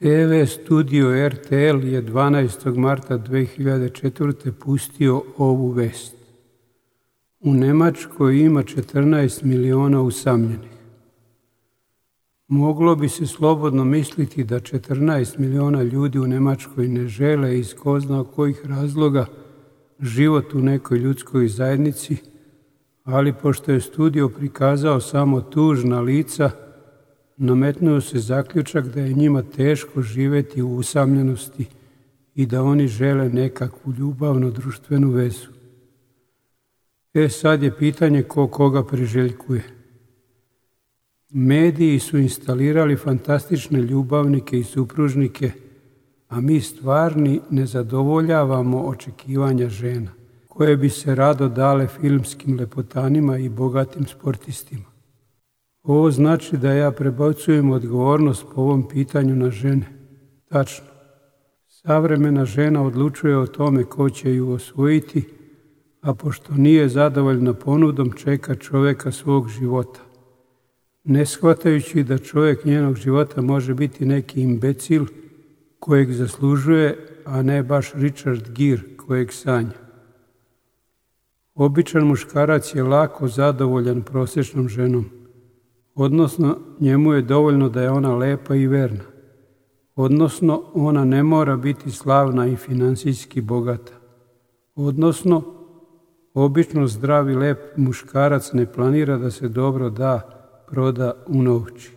TV studio RTL je 12. marta 2004. pustio ovu vest. U Nemačkoj ima 14 miliona usamljenih. Moglo bi se slobodno misliti da 14 miliona ljudi u Nemačkoj ne žele iz ko zna kojih razloga život u nekoj ljudskoj zajednici, ali pošto je studio prikazao samo tužna lica, nametnuo se zaključak da je njima teško živeti u usamljenosti i da oni žele nekakvu ljubavnu društvenu vezu. Sad je pitanje ko koga priželjkuje. Mediji su instalirali fantastične ljubavnike i supružnike, a mi stvarni ne zadovoljavamo očekivanja žena, koje bi se rado dale filmskim lepotanima i bogatim sportistima. Ovo znači da ja prebacujem odgovornost po ovom pitanju na žene. Tačno. Savremena žena odlučuje o tome ko će ju osvojiti, a pošto nije zadovoljna ponudom, čeka čovjeka svog života. Ne shvatajući da čovjek njenog života može biti neki imbecil kojeg zaslužuje, a ne baš Richard Gere kojeg sanja. Običan muškarac je lako zadovoljan prosječnom ženom, odnosno njemu je dovoljno da je ona lepa i verna, odnosno ona ne mora biti slavna i finansijski bogata, odnosno obično zdrav i lep muškarac ne planira da se dobro proda unovči.